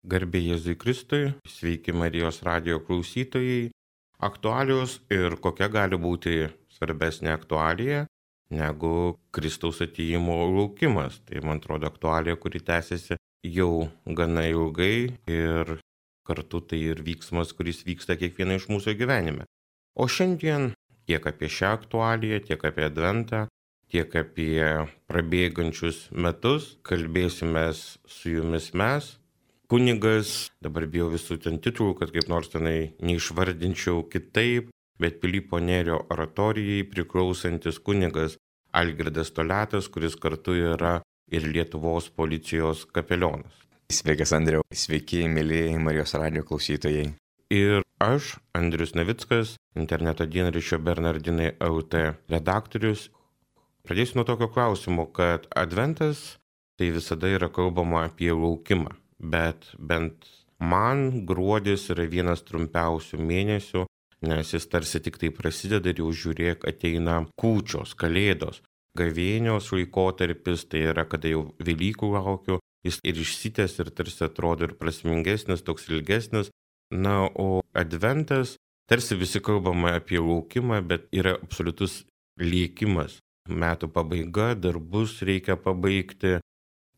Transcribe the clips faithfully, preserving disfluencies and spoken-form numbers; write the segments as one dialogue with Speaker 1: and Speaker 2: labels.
Speaker 1: Garbė Jėzui Kristui, sveiki Marijos radijo klausytojai. Aktualijos ir kokia gali būti svarbesnė aktualija negu Kristaus atėjimo laukimas. Tai man atrodo aktualija, kuri tęsiasi jau gana ilgai ir kartu tai ir vyksmas, kuris vyksta kiekvieną iš mūsų gyvenime. O šiandien tiek apie šią aktualiją, tiek apie Adventą, tiek apie prabėgančius metus kalbėsimės su jumis mes. Kunigas, dabar bijau visų ten titulų, kad kaip nors tenai neišvardinčiau kitaip, bet Pilypo Nėrio oratorijai priklausantis kunigas Algirdas Toliatas, kuris kartu yra ir Lietuvos policijos kapelionas.
Speaker 2: Sveikas Andriau, sveiki mėlyjei Marijos radijo klausytojai.
Speaker 1: Ir aš, Andrius Navickas, interneto dienraščio Bernardinai L T redaktorius. Pradėsiu nuo tokio klausimo, kad Adventas tai visada yra kalbama apie laukimą. Bet bent man gruodis yra vienas trumpiausių mėnesių, nes jis tarsi tik tai prasideda ir jau žiūrėk ateina kūčios, kalėdos, gavėnios laikotarpis, tai yra kada jau Velykų laukiu, jis ir išsitęs ir tarsi atrodo ir prasmingesnis, toks ilgesnis. Na, o Adventas, tarsi visi kalbame apie laukimą, bet yra absoliutus lėkimas. Metų pabaiga, darbus reikia pabaigti.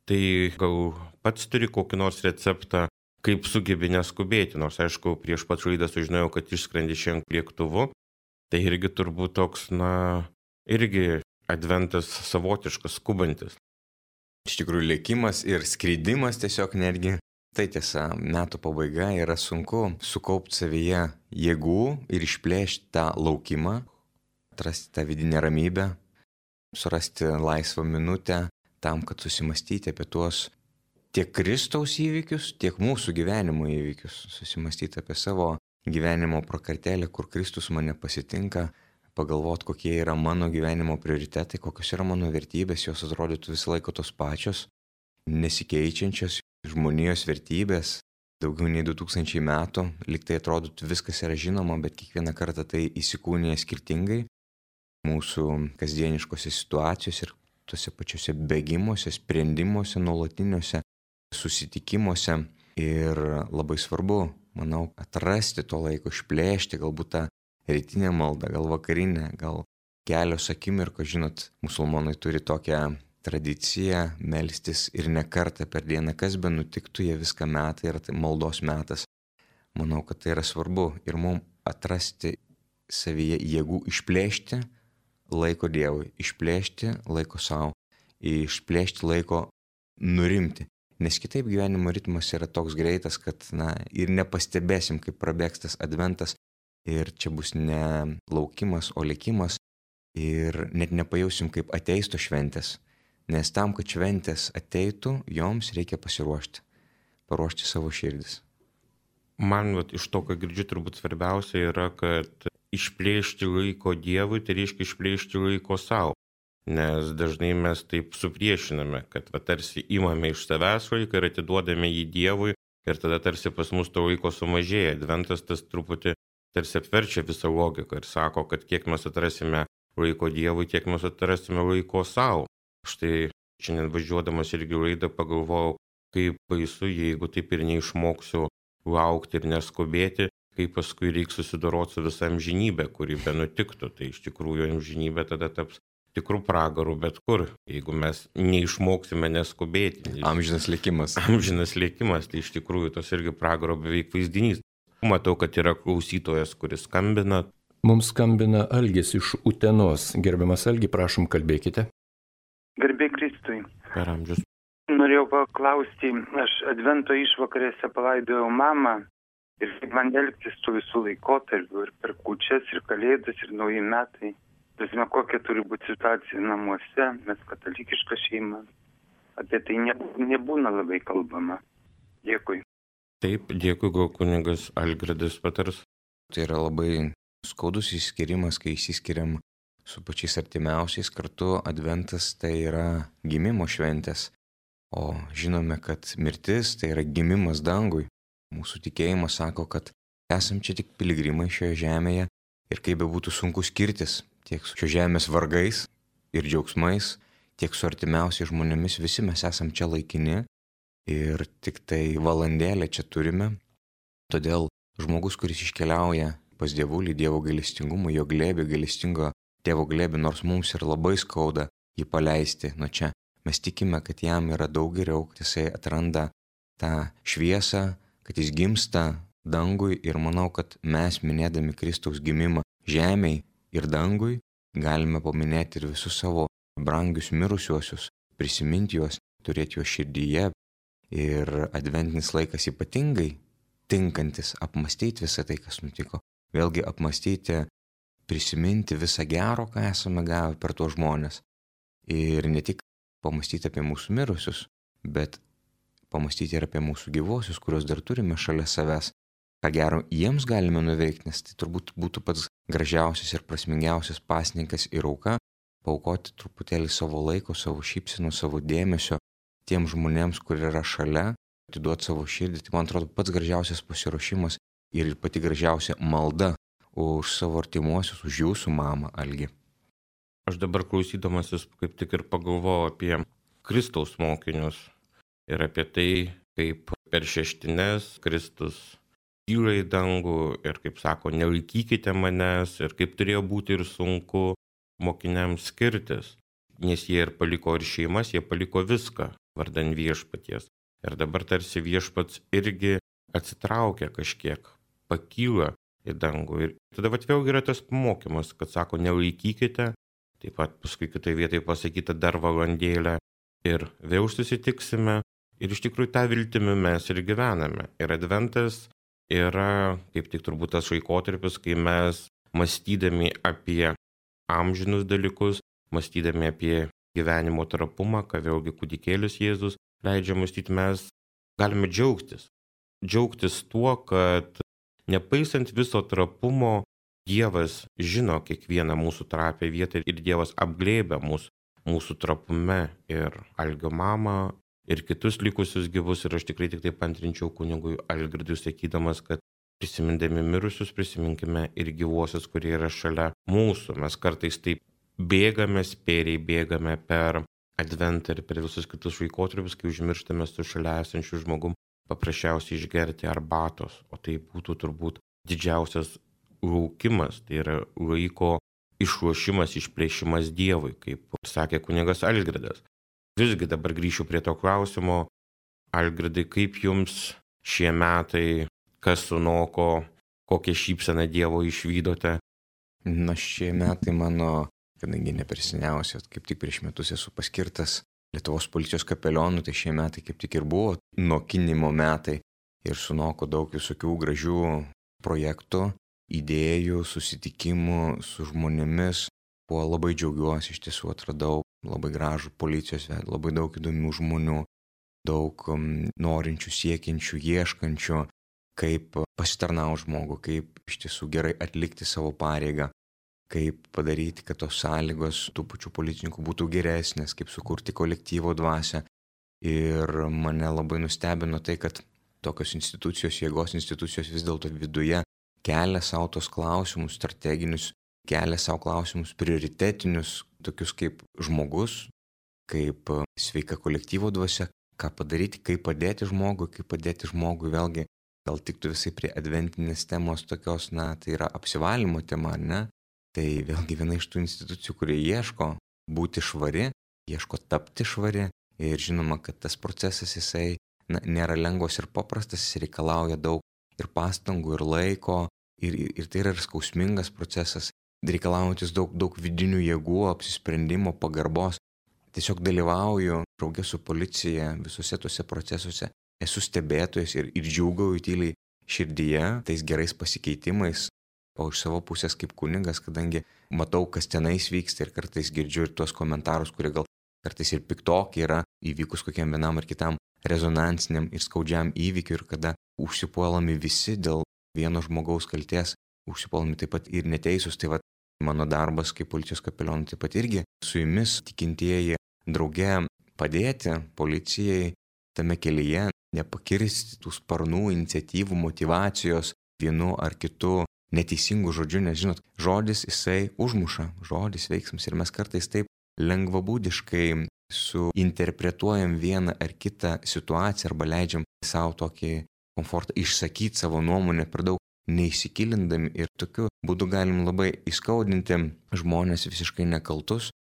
Speaker 1: Tai gal pats turi kokį nors receptą, kaip sugebi neskubėti, nors aišku, prieš pat laidą sužinojau, kad išskrendi šiandien lėktuvu, tai irgi turbūt toks, na, irgi Adventas savotiškas, skubantis.
Speaker 2: Iš tikrųjų, lėkimas ir skridimas tiesiog netgi, tai tiesa, metų pabaiga yra sunku sukaupti savyje jėgų ir išplėšti tą laukimą, atrasti tą vidinę ramybę, surasti laisvą minutę, tam, kad susimastyti apie tuos tiek Kristaus įvykius, tiek mūsų gyvenimo įvykius, susimastyti apie savo gyvenimo prakartėlę, kur Kristus mane pasitinka, pagalvoti, kokie yra mano gyvenimo prioritetai, kokios yra mano vertybės, jos atrodytų visą laiką tos pačios, nesikeičiančios žmonijos vertybės, daugiau nei du tūkstančiai metų, lyg tai atrodytų viskas yra žinoma, bet kiekvieną kartą tai įsikūnija skirtingai mūsų kasdieniškose situacijose ir tuose pačiuose bėgimuose, sprendimuose, nuolatiniuose susitikimuose. Ir labai svarbu, manau, atrasti to laiko, išplėšti galbūt tą rytinę maldą, gal vakarinę, gal kelios akimirkos. Žinot, musulmonai turi tokią tradiciją melstis ir ne kartą per dieną, kas be nutiktų, jie viską metą ir tai maldos metas. Manau, kad tai yra svarbu ir mums atrasti savyje jėgų išplėšti laiko Dievui, išplėšti laiko savo, išplėšti laiko nurimti. Nes kitaip gyvenimo ritmas yra toks greitas, kad na, ir nepastebėsim, kaip prabėgs tas Adventas ir čia bus ne laukimas, o lėkimas ir net nepajausim, kaip ateis tos šventės. Nes tam, kad šventės ateitų, joms reikia pasiruošti, paruošti savo širdis.
Speaker 1: Man vat, iš to, ką girdžiu, turbūt svarbiausia yra, kad išplėšti laiko Dievui, tai reiškia išplėšti laiko savo. Nes dažnai mes taip supriešiname, kad va, tarsi imame iš savęs laiką ir atiduodame jį Dievui ir tada tarsi pas mus to laiko sumažėja. Adventas tas truputį tarsi apverčia visą logiką ir sako, kad kiek mes atrasime laiko Dievui, tiek mes atrasime laiko savo. Štai šiandien važiuodamas irgi laidą pagalvojau, kaip baisu, jeigu taip ir neišmoksiu laukti ir neskubėti, kaip paskui reiks susidoroti su visa amžinybė, kuri be nutiktų. Tai iš tikrųjų amžinybė tada taps tikrų pragarų bet kur, jeigu mes neišmoksime neskubėti.
Speaker 2: Amžinas likimas.
Speaker 1: Amžinas likimas, tai iš tikrųjų tos irgi pragaro beveik vaizdinys. Matau, kad yra klausytojas, kuris skambina.
Speaker 3: Mums skambina Algis iš Utenos. Gerbiamas Algi, prašom, kalbėkite.
Speaker 4: Garbė Kristui.
Speaker 1: Per amžius.
Speaker 4: Norėjau paklausti, aš Advento išvakarėse palaidojau mamą. Ir kaip man elgtis su visų laikotarpiu, ir per kūčias, ir kalėdas, ir nauji metai. Žinoma, kokia turi būti situacija namuose, mes katalikiška šeima. Apie tai nebūna labai kalbama. Dėkui.
Speaker 1: Taip, dėkui, gal kunigas Algirdas patars.
Speaker 2: Tai yra labai skaudus išskirimas, kai išsiskiriam su pačiais artimiausiais. Kartu Adventas tai yra gimimo šventės. O žinome, kad mirtis tai yra gimimas dangui. Mūsų tikėjimas sako, kad esam čia tik piligrimai šioje žemėje ir kaip bebūtų sunku skirtis tiek su šios žemės vargais ir džiaugsmais, tiek su artimiausiais žmonėmis, visi mes esam čia laikini ir tik tai valandėlę čia turime. Todėl žmogus, kuris iškeliauja pas Dievulį, Dievo gailestingumą, jo glėbį, gailestingo Tėvo glėbį, nors mums ir labai skauda jį paleisti nuo čia, mes tikime, kad jam yra daug geriau, kad jisai atranda tą šviesą, kad jis gimsta dangui ir manau, kad mes minėdami Kristaus gimimą žemėj ir dangui galime paminėti ir visus savo brangius mirusiuosius, prisiminti juos, turėti juos širdyje ir adventinis laikas ypatingai tinkantis apmastyti visą tai, kas nutiko. Vėlgi apmastyti, prisiminti visą gero, ką esame gavę per tuos žmonės. Ir ne tik pamastyti apie mūsų mirusius, bet pamastyti ir apie mūsų gyvosius, kuriuos dar turime šalia savęs. Ką gero jiems galime nuveikti, nes tai turbūt būtų pats gražiausias ir prasmingiausias pasninkas ir auka, paaukoti truputėlį savo laiko, savo šypsenų, savo dėmesio tiem žmonėms, kur yra šalia, atiduoti savo širdį. Tai man atrodo pats gražiausias pasiruošimas ir pati gražiausia malda už savo artimuosius, už jūsų mamą, Algi.
Speaker 1: Aš dabar klausydamasis kaip tik ir pagalvojau apie Kristaus mokinius ir apie tai, kaip per šeštines Kristus kyla į dangų ir kaip sako, nelaikykite manęs ir kaip turėjo būti ir sunku mokiniams skirtis, nes jie ir paliko ir šeimas, jie paliko viską vardan viešpaties. Ir dabar tarsi viešpats irgi atsitraukia kažkiek, pakyla į dangų. Ir tada vat vėl yra tas mokymas, kad sako, nelaikykite, taip pat paskui kitai vietai pasakyta dar valandėlę ir vėl susitiksime. Ir iš tikrųjų tą viltimi mes ir gyvename. Ir adventas yra kaip tik turbūt tas laikotarpis, kai mes mąstydami apie amžinus dalykus, mąstydami apie gyvenimo trapumą, ką vėlgi kūdikėlis Jėzus leidžia mąstyti, mes galime džiaugtis. Džiaugtis tuo, kad nepaisant viso trapumo, Dievas žino kiekvieną mūsų trapią vietą ir Dievas apglėbia mus mūsų trapume ir Algio mamą ir kitus likusius gyvus. Ir aš tikrai tik taip antrinčiau kunigui Algirdui sakydamas, kad prisimindami mirusius, prisiminkime ir gyvuosius, kurie yra šalia mūsų. Mes kartais taip bėgame, spėriai bėgame per adventą ir per visus kitus laikotarpius, kai užmirštame su šalia esančiu žmogum paprasčiausiai išgerti arbatos. O tai būtų turbūt didžiausias laukimas, tai yra laiko išruošimas, išplėšimas Dievui, kaip sakė kunigas Algirdas. Visgi dabar grįšiu prie to klausimo. Algirdai, kaip jums šie metai, kas sunoko, kokią šypseną Dievo išvydote?
Speaker 2: Na, šie metai mano, kadangi neperseniausiai, kaip tik prieš metus esu paskirtas Lietuvos policijos kapelionu, tai šie metai kaip tik ir buvo nokinimo metai ir sunoko daug visokių gražių projektų, idėjų, susitikimų su žmonėmis. Buvo labai džiaugiuosi, iš tiesų atradau labai gražų policijos vedą, labai daug įdomių žmonių, daug um, norinčių, siekiančių, ieškančių, kaip pasitarnauti žmogų, kaip iš tiesų gerai atlikti savo pareigą, kaip padaryti, kad tos sąlygos tų pačių policininkų būtų geresnės, kaip sukurti kolektyvo dvasią. Ir mane labai nustebino tai, kad tokios institucijos, jėgos institucijos vis dėlto viduje kelia savo tos klausimus strateginius, kelia savo klausimus prioritetinius, tokius kaip žmogus, kaip sveika kolektyvo dvasia, ką padaryti, kaip padėti žmogui, kaip padėti žmogui vėlgi, gal tiktų visai prie adventinės temos tokios, na, tai yra apsivalymo tema, ar ne? Tai vėlgi viena iš tų institucijų, kurie ieško būti švari, ieško tapti švari ir žinoma, kad tas procesas jisai na, nėra lengvas ir paprastas, jis reikalauja daug ir pastangų, ir laiko, ir, ir tai yra ir skausmingas procesas, reikalaujantis daug, daug vidinių jėgų, apsisprendimo, pagarbos. Tiesiog dalyvauju draugė su policija visuose tuose procesuose, esu stebėtojas ir, ir džiūgauju tyliai širdyje tais gerais pasikeitimais, o iš savo pusės kaip kunigas, kadangi matau, kas tenais vyksta ir kartais girdžiu ir tuos komentarus, kurie gal kartais ir piktoki yra įvykus kokiam vienam ar kitam rezonansiniam ir skaudžiam įvykiui ir kada užsipuolami visi dėl vieno žmogaus kalties, užsipuolami taip pat ir neteisūs. Tai va, mano darbas kaip policijos kapelionų taip pat irgi su jumis tikintieji drauge padėti policijai tame kelyje, nepakirsti tų sparnų, iniciatyvų, motyvacijos vienu ar kitu neteisingų žodžių, nes žinot, žodis jisai užmuša, žodis veiksmas ir mes kartais taip lengvabūdiškai suinterpretuojam vieną ar kitą situaciją arba leidžiam savo tokį komfortą išsakyti savo nuomonę per daug neįsikilindami ir tokiu būdu galim labai įskaudinti žmonės visiškai nekaltus,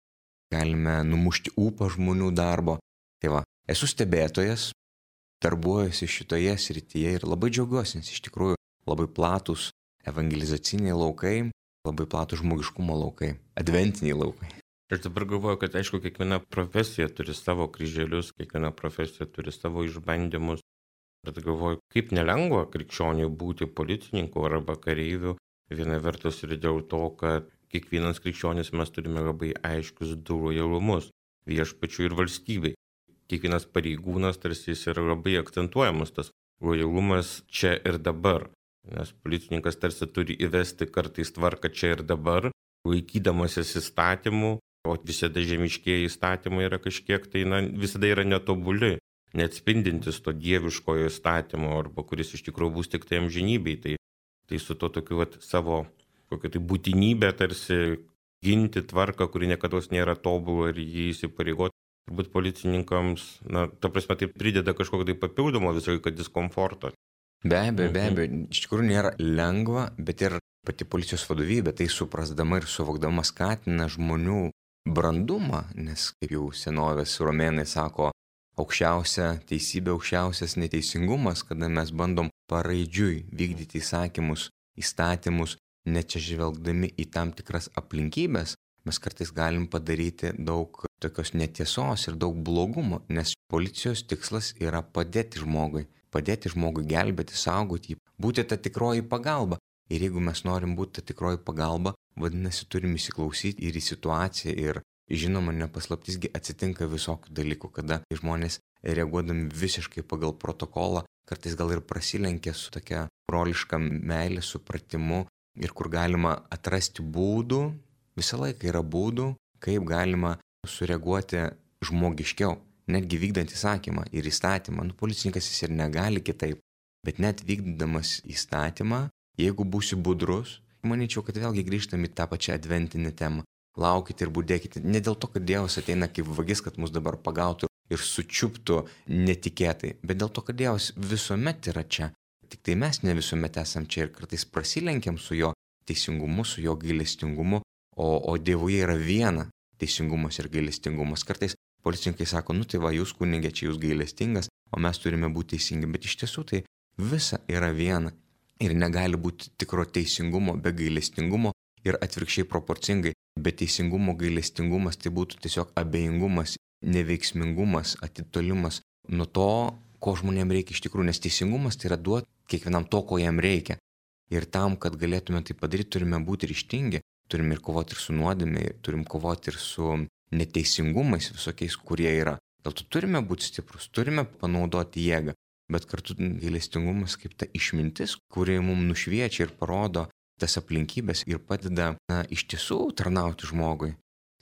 Speaker 2: galime numušti ūpą žmonių darbo. Tai va, esu stebėtojas, darbuojuosi šitoje srityje ir labai džiaugiuosi, nes iš tikrųjų labai platus evangelizaciniai laukai, labai platus žmogiškumo laukai, adventiniai laukai.
Speaker 1: Aš dabar galvoju, kad aišku, kiekviena profesija turi savo kryželius, kiekviena profesija turi savo išbandymus. Bet galvoju, kaip nelengva krikščioniui būti policininku arba kareiviu. Viena vertus ir dėl to, kad kiekvienas krikščionis mes turime labai aiškius du lojalumus viešpačiui ir valstybei. Kiekvienas pareigūnas tarsi jis yra labai akcentuojamas tas lojalumas čia ir dabar. Nes policininkas tarsi turi įvesti kartais tvarką čia ir dabar, laikydamasis įstatymų, o visada žemiškieji įstatymai yra kažkiek tai, na, visada yra netobuli, neatspindintis to dieviškojo įstatymo, arba kuris iš tikrųjų bus tik tai amžinybei. Tai, tai su to tokiu vat, savo kokia tai būtinybė tarsi ginti tvarką, kuri niekada nėra tobula ir jį įsipareigoti. Turbūt policininkams, na, ta prasme, tai prideda kažkokio tai papildomo visą laiką diskomforto.
Speaker 2: Be abejo, be abejo, iš tikrųjų nėra lengva, bet ir pati policijos vadovybė tai suprasdama ir suvokdama skatina žmonių brandumą, nes kaip jau senovės romėnai sako, aukščiausia teisybė, aukščiausias neteisingumas, kada mes bandom paraidžiui vykdyti įsakymus, įstatymus, neatsižvelgdami į tam tikras aplinkybės, mes kartais galim padaryti daug tokios netiesos ir daug blogumo, nes policijos tikslas yra padėti žmogui. Padėti žmogui gelbėti, saugoti jį, būti ta tikroji pagalba. Ir jeigu mes norim būti ta tikroji pagalba, vadinasi, turim įsiklausyti ir į situaciją. Ir žinoma, nepaslaptisgi atsitinka visokių dalykų, kada žmonės reaguodami visiškai pagal protokolą, kartais gal ir prasilenkia su tokia broliška meilė, supratimu ir kur galima atrasti būdų, visą laiką yra būdų, kaip galima sureaguoti žmogiškiau. Netgi vykdant įsakymą ir įstatymą, nu, policininkas jis ir negali kitaip, bet net vykdamas įstatymą, jeigu būsi budrus, manyčiau, kad vėlgi grįžtam į tą pačią adventinę temą. Laukite ir budėkite, ne dėl to, kad Dievas ateina kaip vagis, kad mus dabar pagautų ir sučiuptų netikėtai, bet dėl to, kad Dievas visuomet yra čia. Tik tai mes ne visuomet esam čia ir kartais prasilenkiam su jo teisingumu, su jo gailestingumu, o, o Dievuje yra viena teisingumas ir gailestingumas. Kartais policininkai sako, nu tai va, jūs kunigė, čia jūs gailestingas, o mes turime būti teisingi. Bet iš tiesų tai visa yra viena. Ir negali būti tikro teisingumo be gailestingumo ir atvirkščiai proporcingai. Be teisingumo gailestingumas tai būtų tiesiog abejingumas, neveiksmingumas, atitolimas nuo to, ko žmonėms reikia iš tikrųjų. Nes teisingumas tai yra duoti kiekvienam to, ko jam reikia. Ir tam, kad galėtume tai padaryti, turime būti ryžtingi. Turime ir kovoti ir su nuodėme, turim kovoti ir su neteisingumais visokiais, kurie yra. Dėl to turime būti stiprus, turime panaudoti jėgą, bet kartu gailestingumas kaip ta išmintis, kuri mums nušviečia ir parodo tas aplinkybės ir padeda, na, iš tiesų tarnauti žmogui,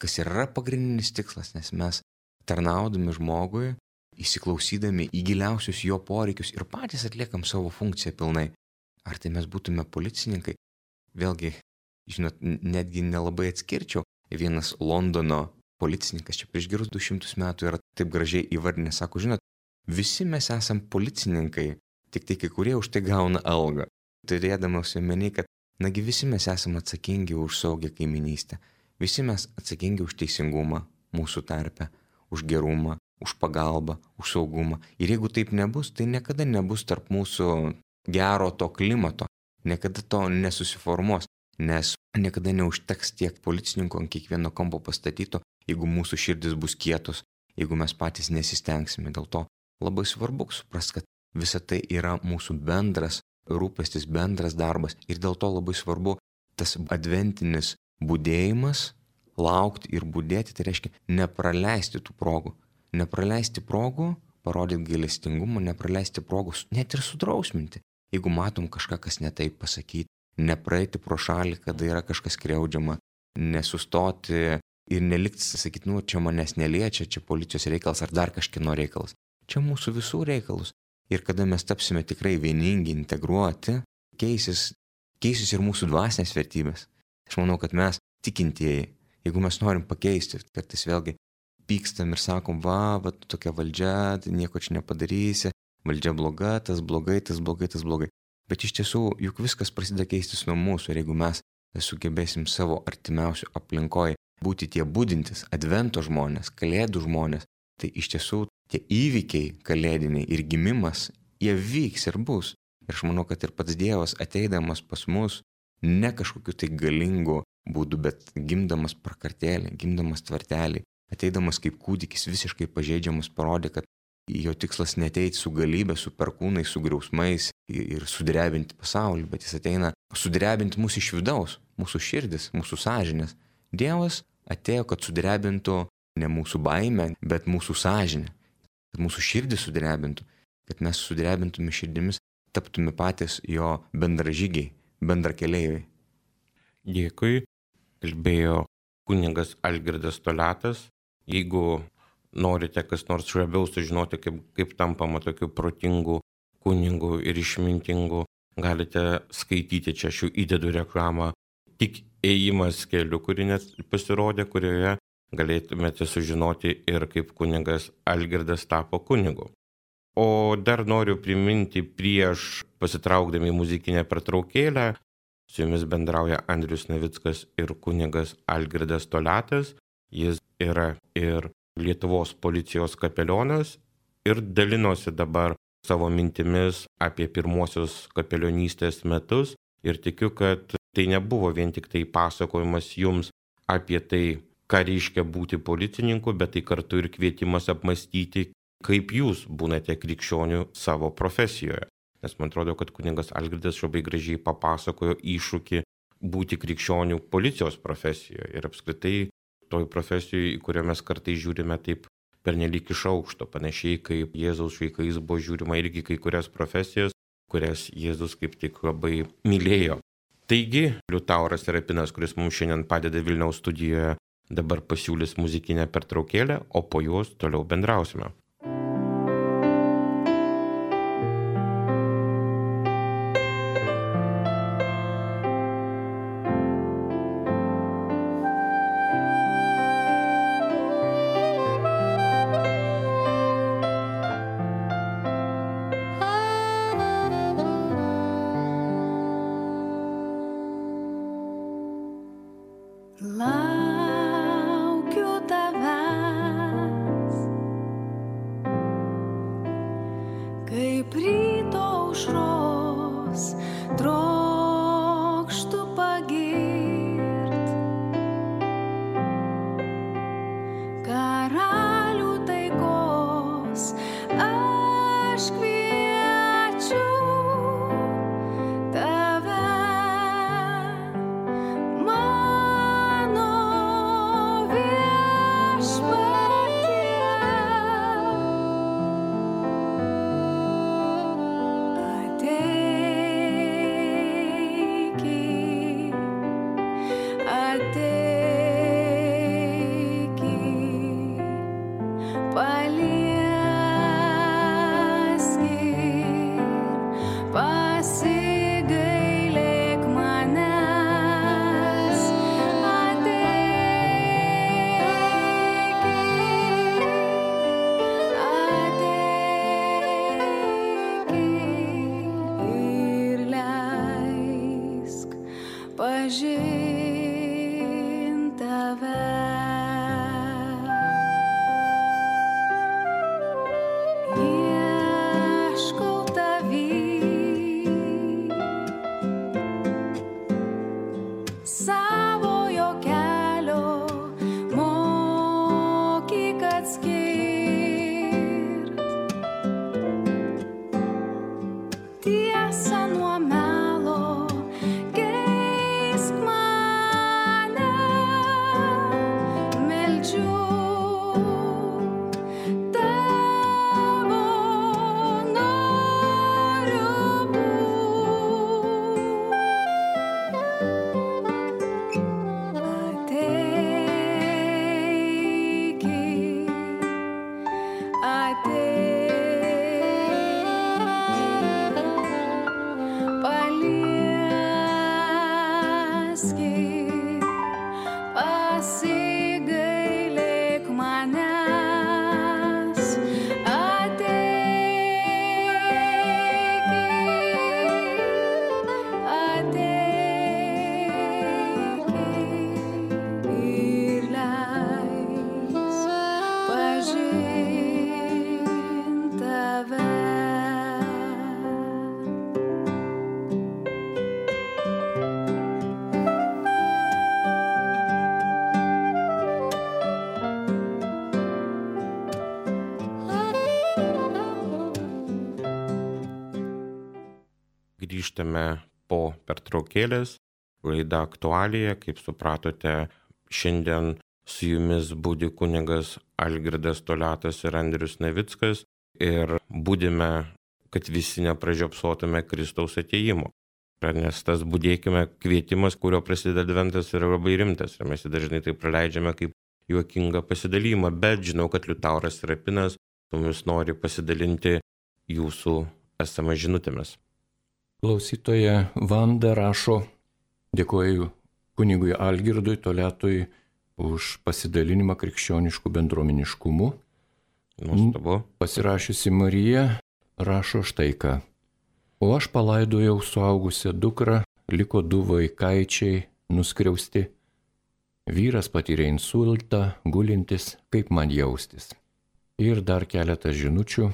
Speaker 2: kas yra pagrindinis tikslas, nes mes tarnaudami žmogui, įsiklausydami į giliausius jo poreikius ir patys atliekam savo funkciją pilnai. Ar tai mes būtume policininkai? Vėlgi, žinot, netgi nelabai atskirčiau. Vienas Londono policininkas čia prieš gerus du šimtus metų yra taip gražiai įvardinęs, sako, žinot, visi mes esam policininkai, tik tai kai kurie už tai gauna algą. Turėdamas omeny, kad nagi visi mes esam atsakingi už saugią kaiminystę, visi mes atsakingi už teisingumą mūsų tarpe, už gerumą, už pagalbą, už saugumą. Ir jeigu taip nebus, tai niekada nebus tarp mūsų gero to klimato, niekada to nesusiformuos, nes niekada neužteks tiek policininkų ant kiekvieno kampo pastatyto, jeigu mūsų širdis bus kietos, jeigu mes patys nesistengsime. Dėl to labai svarbu suprasti, kad visa tai yra mūsų bendras rūpestis, bendras darbas. Ir dėl to labai svarbu tas adventinis budėjimas, laukti ir budėti, tai reiškia nepraleisti tų progų. Nepraleisti progų, parodyti gailestingumą, nepraleisti progų, net ir sudrausminti. Jeigu matom kažką, kas netaip pasakyti, nepraeiti pro šalį, kada yra kažkas skriaudžiama, nesustoti ir nelikti, sakyti, nu, čia manęs neliečia, čia policijos reikalas ar dar kažkieno reikalas. Čia mūsų visų reikalus. Ir kada mes tapsime tikrai vieningi, integruoti, keisis, keisis ir mūsų dvasinės vertybės. Aš manau, kad mes tikintieji Jeigu mes norim pakeisti, kartais vėlgi pykstam ir sakom, va, va, tokia valdžia, tai nieko čia nepadarysi, valdžia bloga, tas blogai, tas blogai, tas blogai. Bet iš tiesų, juk viskas prasideda keistis nuo mūsų ir jeigu mes sugebėsim savo artimiausių aplinkoje būti tie budintis, advento žmonės, kalėdų žmonės, tai iš tiesų tie įvykiai kalėdiniai ir gimimas, jie vyks ir bus. Ir aš manau, kad ir pats Dievas ateidamas pas mus, ne kažkokiu tai galingu būdu, bet gimdamas prakartėlį, gimdamas tvartelį, ateidamas kaip kūdikis visiškai pažeidžiamas, parodė, kad jo tikslas neteiti su galybė, su perkūnais, su griausmais ir sudrebinti pasaulį, bet jis ateina sudrebinti mūsų iš vidaus, mūsų širdis, mūsų sąžinės. Dievas atėjo, kad sudrebintų ne mūsų baimę, bet mūsų sąžinę, kad mūsų širdį sudrebintų, kad mes sudrebintume širdimis, taptume patys jo bendražygiai, bendrakeleiviai.
Speaker 1: Dėkui. Kalbėjo kunigas Algirdas Toliatas. Jeigu norite kas nors labiau sužinoti, kaip, kaip tampama tokiu protingu kunigu ir išmintingu, galite skaityti, čia aš jau įdedu reklamą, Tik ėjimas keliu, kuri net pasirodė, kurioje galėtumėte sužinoti ir kaip kunigas Algirdas tapo kunigu. O dar noriu priminti prieš pasitraukdami muzikinę pertraukėlę, su jumis bendrauja Andrius Navickas ir kunigas Algirdas Toliatas. Jis yra ir Lietuvos policijos kapelionas ir dalinosi dabar savo mintimis apie pirmosios kapelionystės metus ir tikiu, kad tai nebuvo vien tik tai pasakojimas jums apie tai, ką reiškia būti policininku, bet tai kartu ir kvietimas apmastyti, kaip jūs būnate krikščionių savo profesijoje. Nes man atrodo, kad kunigas Algirdas labai gražiai papasakojo iššūkį būti krikščionių policijos profesijoje ir apskritai toj profesijoje, į kurią mes kartais žiūrime taip pernelyg iš aukšto, panašiai kaip Jėzaus laikais buvo žiūrima irgi kai kurias profesijas, kurias Jėzus kaip tik labai mylėjo. Taigi, Liutauras Serapinas, kuris mums šiandien padeda Vilniaus studijoje, dabar pasiūlys muzikinę pertraukėlę, o po jos toliau bendrausime.
Speaker 5: Laukiu tavęs, kaip ryto aušros, trokštu pagirt karalių taikos, aš kviečiu tave. Pažint tave. Ieškau tavy, savojo kelio mokyk atskirt tiesą nuo melo.
Speaker 1: Grįžtame po pertraukėlės. Laida aktualija, kaip supratote, šiandien su jumis budi kunigas Algirdas Toliatas ir Andrius Navickas ir budime, kad visi nepražiopsotume Kristaus atėjimo. Nes tas budėkime kvietimas, kurio prasideda adventas, yra labai rimtas ir mes jį dažnai tai praleidžiame kaip juokingą pasidalymą, bet žinau, kad Liutauras Rapinas su mumis nori pasidalinti jūsų esamą žinutėmis.
Speaker 3: Klausytoja Vanda rašo: dėkoju kunigui Algirdui Toliatui už pasidalinimą krikščioniškų bendruomeniškumu.
Speaker 1: Nuostabu.
Speaker 3: Pasirašiusi Marija rašo štai ką. O aš palaidojau suaugusią dukrą, liko du vaikaičiai nuskriausti. Vyras patyrė insultą, gulintis, kaip man jaustis. Ir dar keletas žinučių.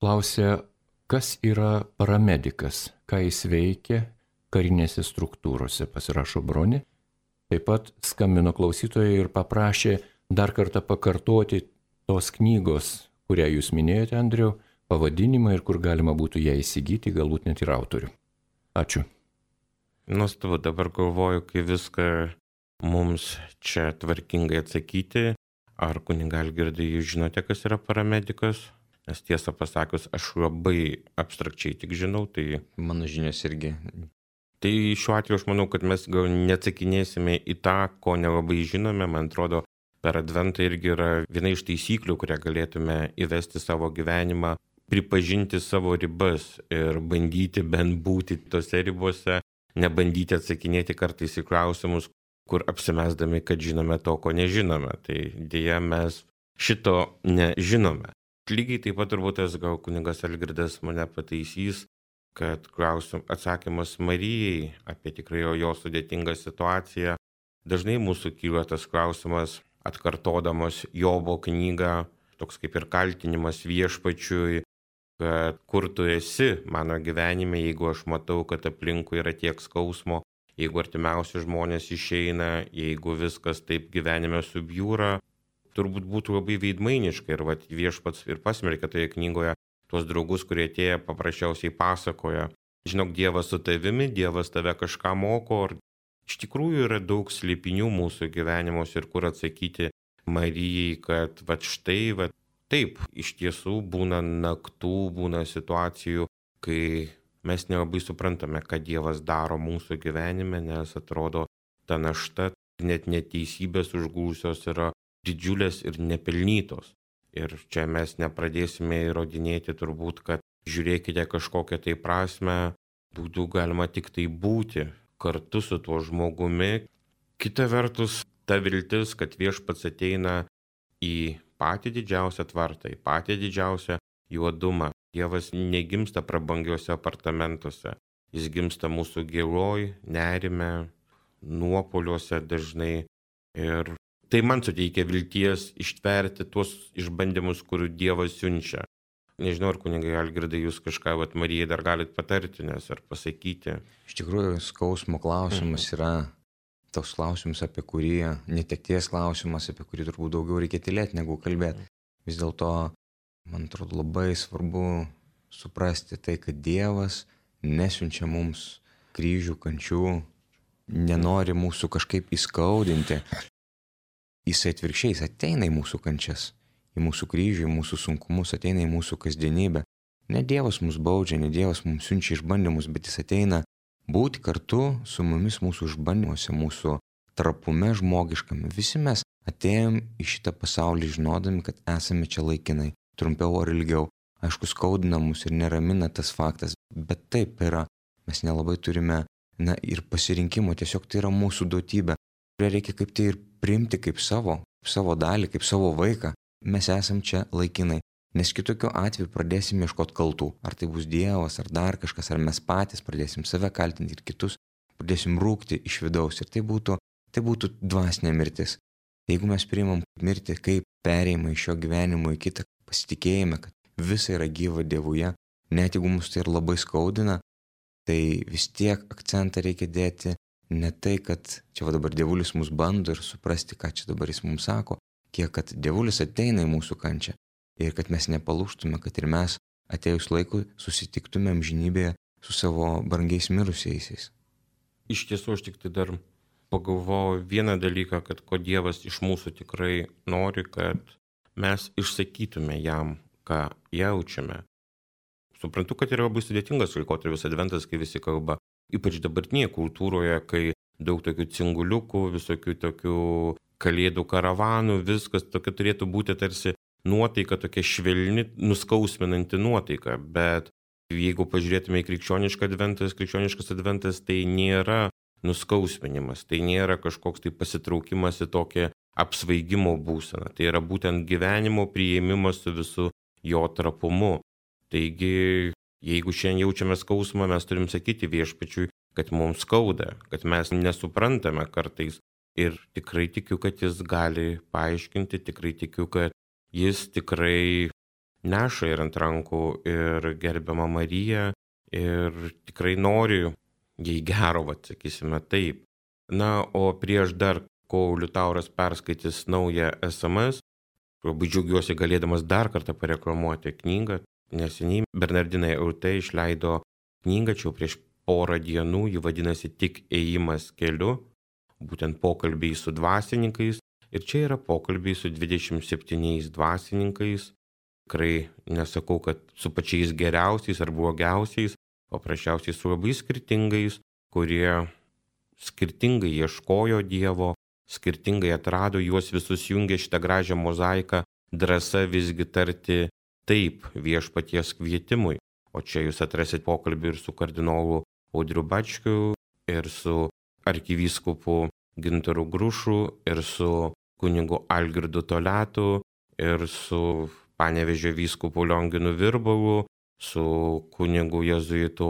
Speaker 3: Klausia, kas yra paramedikas, ką jis veikia karinėse struktūrose, pasirašo Bronė. Taip pat skambino klausytojai ir paprašė dar kartą pakartoti tos knygos, kurią jūs minėjote, Andriau, pavadinimą ir kur galima būtų ją įsigyti, galbūt net ir autorių. Ačiū.
Speaker 1: Nuostabu, dabar galvoju, kai viską mums čia tvarkingai atsakyti. Ar kuniga Algirdai, jūs žinote, kas yra paramedikas? Nes tiesą pasakius, aš labai abstrakčiai tik žinau, tai...
Speaker 2: Mano žinios irgi.
Speaker 1: Tai šiuo atveju aš manau, kad mes gal neatsakinėsime į tą, ko nelabai žinome. Man atrodo, per adventą irgi yra viena iš taisyklių, kurią galėtume įvesti savo gyvenimą, pripažinti savo ribas ir bandyti bent būti tose ribose, nebandyti atsakinėti kartais į klausimus, kur apsimesdami, kad žinome to, ko nežinome. Tai dėja mes šito nežinome. Lygiai taip pat turbūt tas gal kunigas Algirdas mane pataisys, kad klausim atsakymas Marijai apie tikrai jo sudėtingą situaciją. Dažnai mūsų kyla tas klausimas, atkartodamas Jobo knygą, toks kaip ir kaltinimas viešpačiui, kad kur tu esi mano gyvenime, jeigu aš matau, kad aplinkui yra tiek skausmo, jeigu artimiausi žmonės išeina, jeigu viskas taip gyvenime subjūra, turbūt būtų labai veidmainiška ir vat, viešpats ir pasmerkia toje knygoje tuos draugus, kurie atėję paprasčiausiai pasakoja, žinok, Dievas su tavimi, Dievas tave kažką moko, ir iš tikrųjų yra daug slėpinių mūsų gyvenimuose ir kur atsakyti Marijai, kad vat štai, vat taip, iš tiesų būna naktų, būna situacijų, kai mes nelabai suprantame, ką Dievas daro mūsų gyvenime, nes atrodo ta našta, net neteisybės užgūsios yra didžiulės ir nepelnytos. Ir čia mes nepradėsime įrodinėti turbūt, kad žiūrėkite kažkokią tai prasme, būtų galima tik tai būti kartu su tuo žmogumi. Kita vertus, ta viltis, kad viešpats ateina į patį didžiausią tvartą, į patį didžiausią juodumą. Dievas negimsta prabangiuose apartamentuose, jis gimsta mūsų giloj, nerime, nuopoliuose dažnai. Ir tai man suteikia vilties ištverti tuos išbandymus, kurių Dievas siunčia. Nežinau, ar kunigai Algirdai, jūs kažką vat, Marijai dar galit patarti, nes ar pasakyti.
Speaker 2: Iš tikrųjų, skausmo klausimas yra toks klausimas, apie kurį, netekties klausimas, apie kurį turbūt daugiau reikia tylėti, negu kalbėti. Vis dėlto, man atrodo, labai svarbu suprasti tai, kad Dievas nesiunčia mums kryžių, kančių, nenori mūsų kažkaip įskaudinti. Jis atvirkščiai, jis ateina į mūsų kančias, į mūsų kryžių, į mūsų sunkumus, ateina į mūsų kasdienybę. Ne Dievas mus baudžia, ne Dievas mums siunčia išbandymus, bet jis ateina būti kartu su mumis mūsų išbandymuose, mūsų trapume žmogiškame. Visi mes atėjom į šitą pasaulį žinodami, kad esame čia laikinai, trumpiau ar ilgiau. Aišku, skaudina mus ir neramina tas faktas, bet taip yra. Mes nelabai turime, na, ir pasirinkimo, tiesiog tai yra mūsų duotybė, kurią reikia kaip tai ir priimti kaip savo, kaip savo dalį, kaip savo vaiką. Mes esam čia laikinai, nes kitokiu atveju pradėsim ieškoti kaltų. Ar tai bus Dievas, ar dar kažkas, ar mes patys pradėsim save kaltinti ir kitus, pradėsim rūkti iš vidaus. Ir tai būtų, tai būtų dvasinė mirtis. Jeigu mes priimam mirtį kaip perėjimą iš šio gyvenimo į kitą, pasitikėjime, kad visa yra gyva Dievuje, net jeigu mus tai ir labai skaudina, tai vis tiek akcentą reikia dėti ne tai, kad čia va dabar dievulis mus bando ir suprasti, ką čia dabar jis mums sako, kiek kad dievulis ateina į mūsų kančią ir kad mes nepalūžtume, kad ir mes atėjus laikui susitiktume amžinybėje su savo brangiais mirusiaisiais.
Speaker 1: Iš tiesų, aš tik tai dar pagalvojau vieną dalyką, kad ko Dievas iš mūsų tikrai nori, kad mes išsakytume jam, ką jaučiame. Suprantu, kad yra labai sudėtingas laikotarpis adventas, kai visi kalba, ypač dabartinėje kultūroje, kai daug tokių cinguliukų, visokių tokių kalėdų karavanų, viskas tokia turėtų būti tarsi nuotaika, tokia švelni, nuskausminanti nuotaika. Bet jeigu pažiūrėtume į krikščionišką adventas, krikščioniškas adventas tai nėra nuskausminimas, tai nėra kažkoks tai pasitraukimas į tokią apsvaigimo būseną. Tai yra būtent gyvenimo priėmimas su visu jo trapumu. Taigi, jeigu šiandien jaučiame skausmą, mes turim sakyti viešpačiui, kad mums skauda, kad mes nesuprantame kartais. Ir tikrai tikiu, kad jis gali paaiškinti, tikrai tikiu, kad jis tikrai neša ir ant rankų ir gerbiamą Mariją ir tikrai nori jai gero, vat, sakysime taip. Na, o prieš dar, kol Liutauras perskaitys naują S M S, labai džiaugiuosi galėdamas dar kartą pareklamuoti knygą. Neseniai Bernardinai L T išleido knygą, čia jau prieš porą dienų, ji vadinasi Tik ėjimas keliu, būtent pokalbiai su dvasininkais. Ir čia yra pokalbiai su dvidešimt septyniais dvasininkais. Tikrai nesakau, kad su pačiais geriausiais ar blogiausiais, paprasčiausiai su labai skirtingais, kurie skirtingai ieškojo Dievo, skirtingai atrado, juos visus jungė šitą gražią mozaiką, drąsa visgi tarti taip viešpaties kvietimui. O čia jūs atrasit pokalbį ir su kardinolu Audriu Bačkiu, ir su arkivyskupu Gintaru Grušu, ir su kunigu Algirdu Toletu, ir su Panevėžio vyskupu Lionginu Virbalu, su kunigu jėzuitu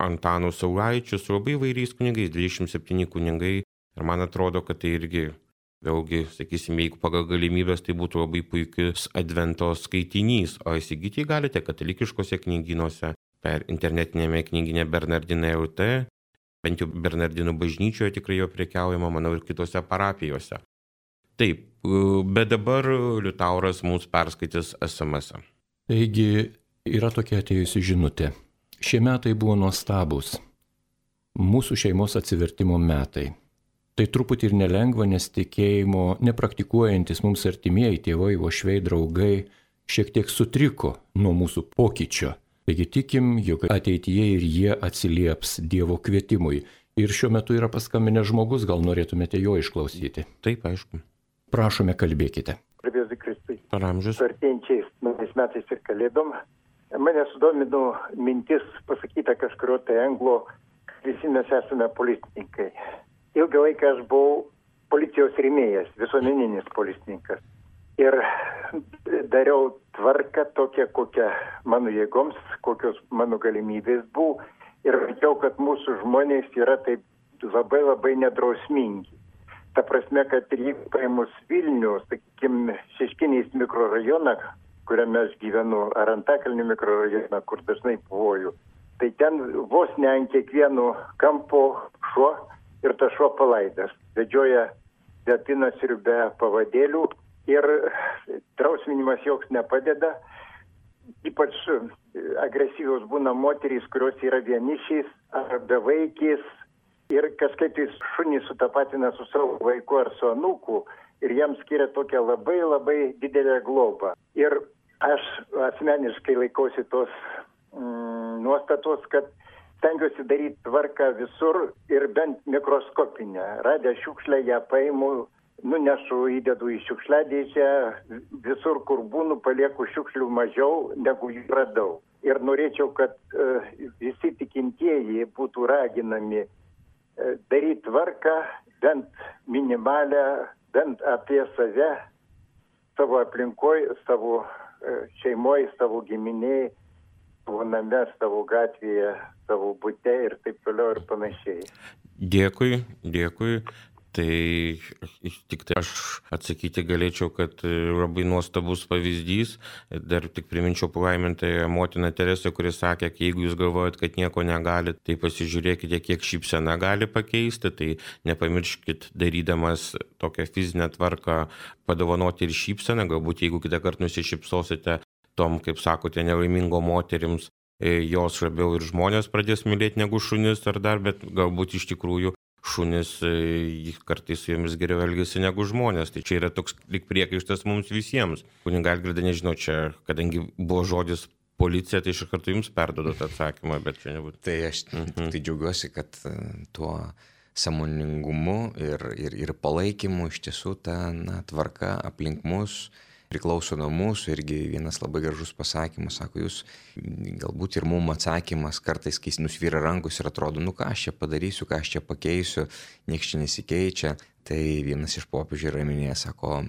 Speaker 1: Antanu Saulaičiu, su labai įvairiais kunigais, dvidešimt septyni kunigai. Ir man atrodo, kad tai irgi, vėlgi, sakysime, jeigu pagal galimybės, tai būtų labai puikius advento skaitinys. O įsigyti galite katalikiškose knygynuose, per internetinėme knyginė Bernardinai L T, bent jau Bernardinų bažnyčioje tikrai jo prekiaujama, manau, ir kitose parapijose. Taip, bet dabar Liutauras mums perskaitys S M S.
Speaker 3: Taigi yra tokia atėjusi žinutė. Šie metai buvo nuostabus. Mūsų šeimos atsivertimo metai. Tai truputį ir nelengva, nes tikėjimo nepraktikuojantis mums artimieji tėvai, uošviai, draugai šiek tiek sutriko nuo mūsų pokyčio. Taigi tikim, jog ateityje ir jie atsilieps Dievo kvietimui. Ir šiuo metu yra paskambinęs žmogus, gal norėtumėte jo išklausyti.
Speaker 1: Taip, aišku.
Speaker 3: Prašome, kalbėkite.
Speaker 6: Garbėzui Kristui.
Speaker 1: Per amžius.
Speaker 6: Su artėjančiais naujais metais ir kalėdom. Mane sudomino mintis pasakyta kažkurio tai anglo, kad visi mes esame policininkai. Ilgą laiką aš buvau policijos rėmėjas, visuomeninis policininkas. Ir dariau tvarką tokią, kokią mano jėgoms, kokios mano galimybės buvo. Ir mačiau, kad mūsų žmonės yra taip labai labai nedrausmingi. Ta prasme, kad jeigu paėmus Vilnių, sakykime, Šeškinės mikrorajoną, kuriame aš gyvenu, ar Antakalnio mikrorajoną, kur dažnai puvoju, tai ten vos ne ant kiekvieno kampo šuo ir tas šuo palaidas. Vedžioja be apynasrių, be pavadėlių ir drausminimas joks nepadeda. Ypač agresyvios būna moterys, kurios yra vienišiais ar bevaikės ir kažkaip tai šunį sutapatina su savo vaiku ar su anūku ir jiems skiria tokią labai labai didelę globą. Ir aš asmeniškai laikausi tos mm, nuostatos, kad stengiuosi daryti tvarką visur ir bent mikroskopinę. Radę šiukšlę ją paimu, nunešu, įdedu į šiukšliadėžę, visur, kur būnu, palieku šiukšlių mažiau, negu jų radau. Ir norėčiau, kad uh, visi tikintieji būtų raginami uh, daryti tvarką, bent minimalę, bent apie save, savo aplinkoje, savo uh, šeimoje, savo giminėje, savo name, savo gatvėje, savo bute ir taip toliau ir panašiai.
Speaker 1: Dėkui, dėkui. Tai tik tai aš atsakyti galėčiau, kad labai nuostabus pavyzdys. Dar tik priminčiau palaimintąją motiną Teresę, kuris sakė, kad jeigu jūs galvojat, kad nieko negalit, tai pasižiūrėkite, kiek šypsena gali pakeisti. Tai nepamirškit, darydamas tokią fizinę tvarką, padovanoti ir šypseną. Galbūt jeigu kitą kartą nusišypsosite tom, kaip sakote, nelaimingo moterims jos labiau ir žmonės pradės mylėti negu šunis ar dar, bet galbūt iš tikrųjų šunis kartais su jomis geriau elgesi negu žmonės. Tai čia yra toks lyg priekaištas mums visiems. Kuniga Algirda, nežinau, čia, kadangi buvo žodis policija, tai iš karto jums perdodu tą atsakymą, bet čia nebūtų.
Speaker 2: Tai aš mhm. tai džiaugiuosi, kad tuo sąmoningumu ir, ir, ir palaikymu iš tiesų ta na, tvarka aplink mus priklauso nuo mūsų. Irgi vienas labai gražus pasakymas, sako, jūs galbūt ir mum atsakymas kartais, kai nusvyra rankus ir atrodo, nu ką aš čia padarysiu, ką aš čia pakeisiu, nieks čia nesikeičia. Tai vienas iš popiežių yra minėjęs, sako,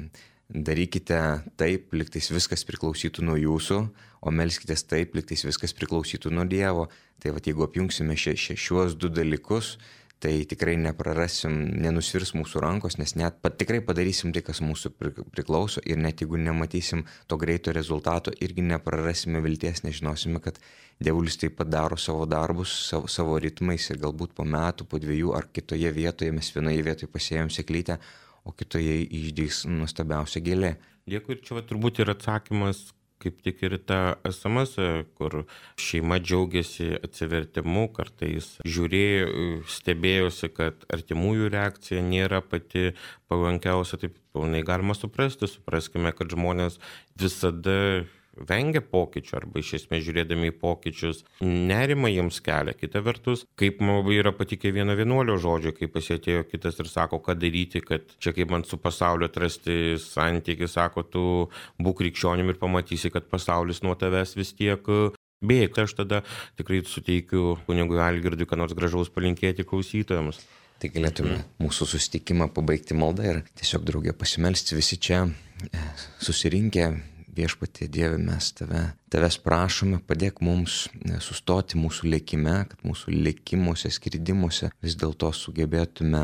Speaker 2: darykite taip, liktais viskas priklausytų nuo jūsų, o melskitės taip, liktais viskas priklausytų nuo Dievo. Tai va, jeigu apjungsime šia, šia, šiuos du dalykus, tai tikrai neprarasim, nenusvirs mūsų rankos, nes net pat, tikrai padarysim tai, kas mūsų priklauso, ir net jeigu nematysim to greito rezultato, irgi neprarasime vilties, nežinosime, kad Dievulis taip pat daro savo darbus, savo, savo ritmais, ir galbūt po metų, po dviejų ar kitoje vietoje mes vienoje vietoje pasėjom sėklytę, o kitoje išdys nuostabiausia gėlė.
Speaker 1: Dėkui, ir čia va, turbūt ir atsakymas kaip tik ir ta es em es, kur šeima džiaugiasi atsivertimu, kartais žiūrėjo, stebėjosi, kad artimųjų reakcija nėra pati palankiausia, taip pilnai galima suprasti. Supraskime, kad žmonės visada vengia pokyčių arba iš esmės žiūrėdami į pokyčius nerimą jiems kelia. Kita vertus, kaip man labai yra patikę vieno vienuolio žodžio, kai pasėtėjo kitas ir sako, ką daryti, kad čia kaip man su pasauliu atrasti santykį, sako, tu būk krikščionim ir pamatysi, kad pasaulis nuo tavęs vis tiek bėga. Aš tada tikrai suteikiu kunigui Algirdui, ką nors gražaus palinkėti klausytojams.
Speaker 2: Tai galėtume mūsų susitikimą pabaigti maldą ir tiesiog draugė pasimelsti visi čia susirinkę. Viešpatie Dieve, mes tave, tavęs prašome, padėk mums sustoti mūsų lėkime, kad mūsų lėkimuose, skridimuose vis dėlto sugebėtume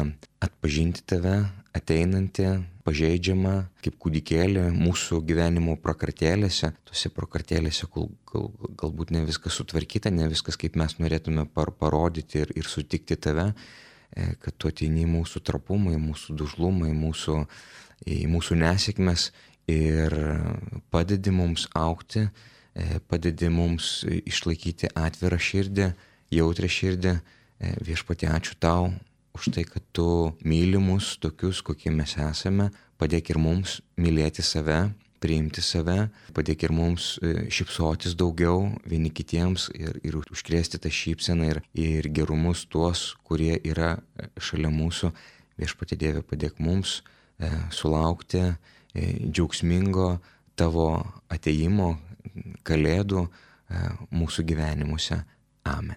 Speaker 2: atpažinti tave, ateinantį, pažeidžiamą, kaip kūdikėlį mūsų gyvenimo prakartėlėse, tose prakartėlėse, kol gal, galbūt ne viskas sutvarkyta, ne viskas kaip mes norėtume par, parodyti ir, ir sutikti tave, kad tu ateini į mūsų trapumą, į mūsų dužlumą, į mūsų, į mūsų nesėkmes. Ir padedi mums augti, padedi mums išlaikyti atvirą širdį, jautrę širdį. Viešpatie, ačiū tau už tai, kad tu myli mus tokius, kokie mes esame. Padėk ir mums mylėti save, priimti save. Padėk ir mums šypsotis daugiau vieni kitiems ir, ir užkrėsti tą šypseną ir, ir gerumus tuos, kurie yra šalia mūsų. Viešpatie Dieve, padėk mums sulaukti džiaugsmingo tavo atėjimo, kalėdų mūsų gyvenimuose. Amen.